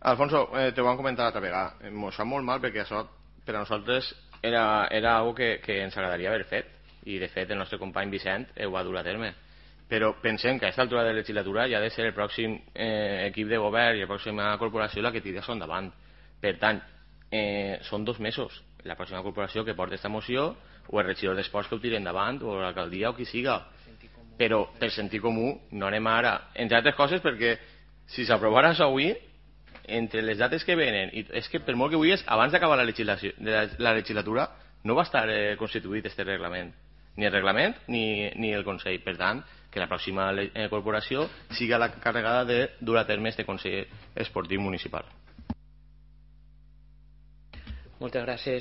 Alfonso, te ho vam comentar l'altra vegada. Ens fa molt mal perquè això per a nosaltres era algo que ens agradaria haver fet, i de fet el nostre company Vicent ho va dur a terme, però pensem que a aquesta altura de la legislatura ja ha de ser el pròxim equip de govern i la pròxima corporació la que tiri això endavant. Per tant, són 2 mesos la pròxima corporació que porta aquesta moció, o el regidor d'esports que ho tiri endavant, o l'alcaldia o qui siga, però per sentit comú no anem ara, entre altres coses perquè si s'aprovara això avui, entre les dates que venen, i és que per molt que vulguis, abans d'acabar la legislatura no va estar constituït este reglament, ni el reglament ni el Consell. Per tant, que la pròxima corporació siga la carregada de dur a terme este Consell Esportiu Municipal. Moltes gràcies.